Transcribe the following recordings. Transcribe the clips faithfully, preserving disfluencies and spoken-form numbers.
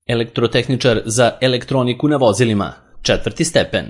Elektrotehničar za elektroniku na vozilima, četvrti stepen.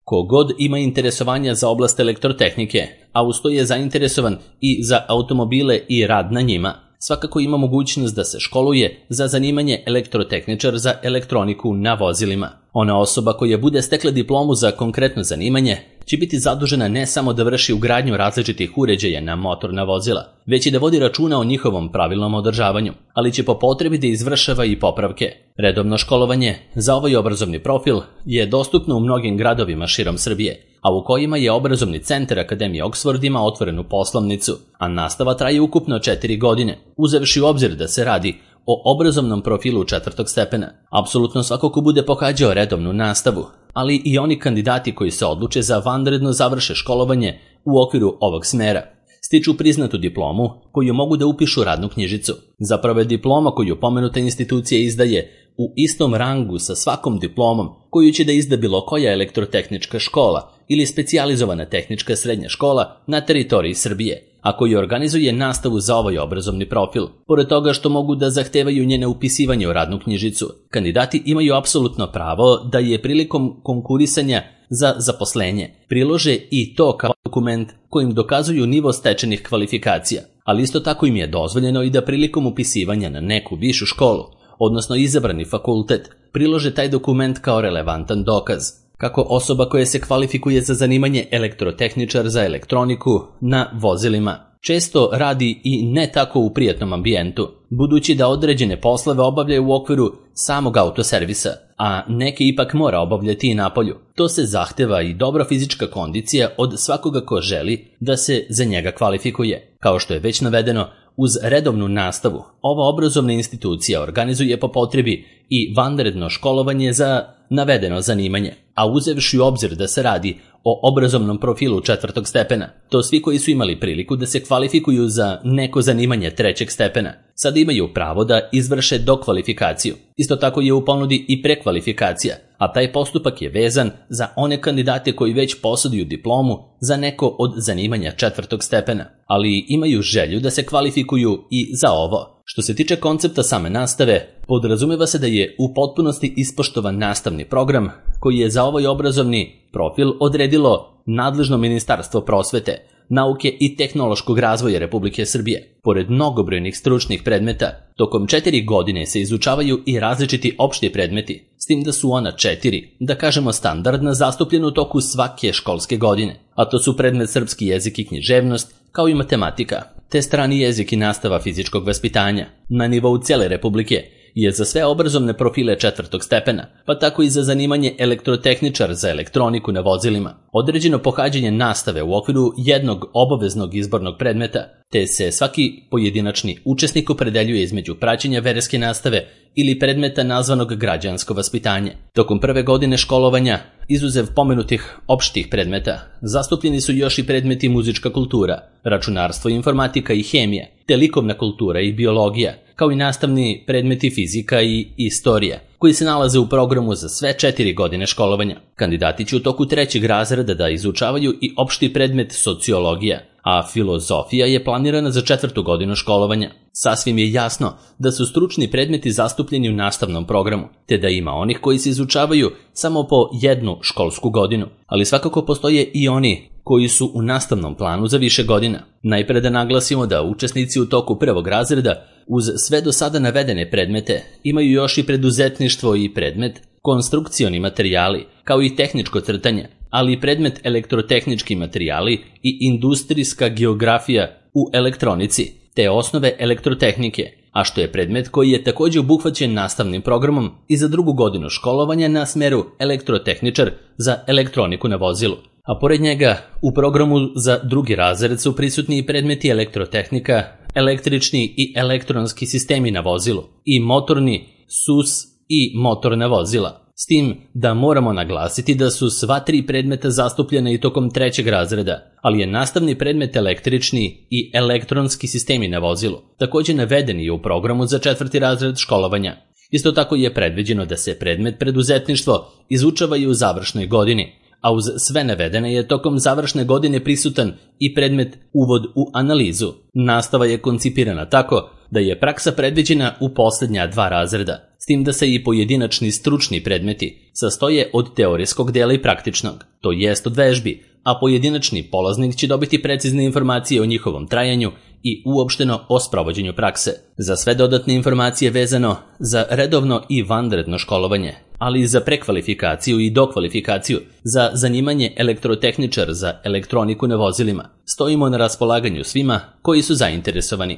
Kogod ima interesovanja za oblast elektrotehnike, a uz to je zainteresovan i za automobile i rad na njima, svakako ima mogućnost da se školuje za zanimanje elektrotehničar za elektroniku na vozilima. Ona osoba koja bude stekla diplomu za konkretno zanimanje će biti zadužena ne samo da vrši ugradnju različitih uređaja na motorna vozila, već i da vodi računa o njihovom pravilnom održavanju, ali će po potrebi da izvršava i popravke. Redovno školovanje za ovaj obrazovni profil je dostupno u mnogim gradovima širom Srbije, a u kojima je obrazovni centar Akademije Oxford ima otvorenu poslovnicu, a nastava traje ukupno četiri godine, uzevši u obzir da se radi o obrazovnom profilu četvrtog stepena. Apsolutno svako ko bude pohađao redovnu nastavu, ali i oni kandidati koji se odluče za vanredno završe školovanje u okviru ovog smera, stiču priznatu diplomu koju mogu da upišu radnu knjižicu. Zapravo je diploma koju pomenuta institucija izdaje u istom rangu sa svakom diplomom koju će da izda bilo koja elektrotehnička škola ili specijalizovana tehnička srednja škola na teritoriji Srbije, a koji organizuje nastavu za ovaj obrazovni profil. Pored toga što mogu da zahtevaju njene upisivanje u radnu knjižicu, kandidati imaju apsolutno pravo da je prilikom konkurisanja za zaposlenje prilože i to kao dokument kojim dokazuju nivo stečenih kvalifikacija, ali isto tako im je dozvoljeno i da prilikom upisivanja na neku višu školu, odnosno izabrani fakultet, prilože taj dokument kao relevantan dokaz, kako osoba koja se kvalifikuje za zanimanje elektrotehničar za elektroniku na vozilima često radi i ne tako u prijatnom ambijentu, budući da određene poslove obavljaju u okviru samog autoservisa, a neke ipak mora obavljati i napolju. To se zahteva i dobra fizička kondicija od svakoga ko želi da se za njega kvalifikuje. Kao što je već navedeno, uz redovnu nastavu, ova obrazovna institucija organizuje po potrebi i vanredno školovanje za navedeno zanimanje, a uzevši u obzir da se radi o obrazovnom profilu četvrtog stepena, to svi koji su imali priliku da se kvalifikuju za neko zanimanje trećeg stepena, sada imaju pravo da izvrše dokvalifikaciju. Isto tako je u ponudi i prekvalifikacija, a taj postupak je vezan za one kandidate koji već posjeduju diplomu za neko od zanimanja četvrtog stepena, ali imaju želju da se kvalifikuju i za ovo. Što se tiče koncepta same nastave, podrazumeva se da je u potpunosti ispoštovan nastavni program koji je za ovaj obrazovni profil odredilo nadležno Ministarstvo prosvete, nauke i tehnološkog razvoja Republike Srbije. Pored mnogobrojnih stručnih predmeta, tokom četiri godine se izučavaju i različiti opšti predmeti, s tim da su ona četiri, da kažemo standardna, zastupljena u toku svake školske godine, a to su predmet srpski jezik i književnost, kao i matematika, te strani jezik i nastava fizičkog vaspitanja. Na nivou cele Republike je za sve obrazovne profile četvrtog stepena, pa tako i za zanimanje elektrotehničar za elektroniku na vozilima, određeno pohađanje nastave u okviru jednog obaveznog izbornog predmeta, te se svaki pojedinačni učesnik opredeljuje između praćenja verske nastave ili predmeta nazvanog građansko vaspitanje. Tokom prve godine školovanja, izuzev pomenutih opštih predmeta, zastupljeni su još i predmeti muzička kultura, računarstvo, informatika i hemija, te likovna kultura i biologija, kao i nastavni predmeti fizika i istorija, koji se nalaze u programu za sve četiri godine školovanja. Kandidati će u toku trećeg razreda da izučavaju i opšti predmet sociologija, a filozofija je planirana za četvrtu godinu školovanja. Sasvim je jasno da su stručni predmeti zastupljeni u nastavnom programu, te da ima onih koji se izučavaju samo po jednu školsku godinu, ali svakako postoje i oni koji su u nastavnom planu za više godina. Najpre da naglasimo da učesnici u toku prvog razreda uz sve do sada navedene predmete imaju još i preduzetništvo i predmet konstrukcioni materijali, kao i tehničko crtanje, ali i predmet elektrotehnički materijali i industrijska geografija u elektronici, te osnove elektrotehnike, a što je predmet koji je također obuhvaćen nastavnim programom i za drugu godinu školovanja na smeru elektrotehničar za elektroniku na vozilu. A pored njega, u programu za drugi razred su prisutni i predmeti elektrotehnika, električni i elektronski sistemi na vozilu i motorni, S U S i motorna vozila. S tim da moramo naglasiti da su sva tri predmeta zastupljena i tokom trećeg razreda, ali je nastavni predmet električni i elektronski sistemi na vozilu također navedeni u programu za četvrti razred školovanja. Isto tako je predviđeno da se predmet preduzetništvo izučava i u završnoj godini, a uz sve navedene je tokom završne godine prisutan i predmet uvod u analizu. Nastava je koncipirana tako da je praksa predviđena u posljednja dva razreda, s tim da se i pojedinačni stručni predmeti sastoje od teorijskog dela i praktičnog, to jest od vežbi, a pojedinačni polaznik će dobiti precizne informacije o njihovom trajanju i uopšteno o sprovođenju prakse. Za sve dodatne informacije vezano za redovno i vanredno školovanje, ali i za prekvalifikaciju i dokvalifikaciju za zanimanje elektrotehničar za elektroniku na vozilima, stojimo na raspolaganju svima koji su zainteresovani.